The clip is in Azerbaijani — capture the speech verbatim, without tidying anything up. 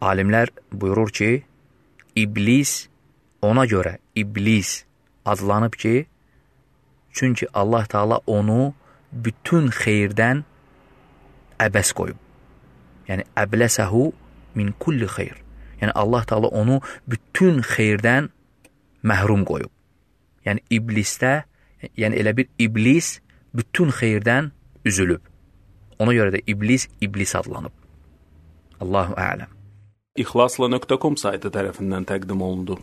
alimlər buyurur ki, iblis ona görə iblis adlanıb ki, çünki Allah Teala onu bütün xeyirdən əbəs qoyub. Yəni, əbləsəhu min kulli xeyr. Yəni, Allah Teala onu bütün xeyirdən məhrum qoyub. Yəni, iblisdə, yəni elə bir iblis bütün xeyirdən üzülüb. Ona görə də iblis, iblis adlanıb. Allahu ələm. İxlasla nöqtə com saytı tərəfindən təqdim olundu.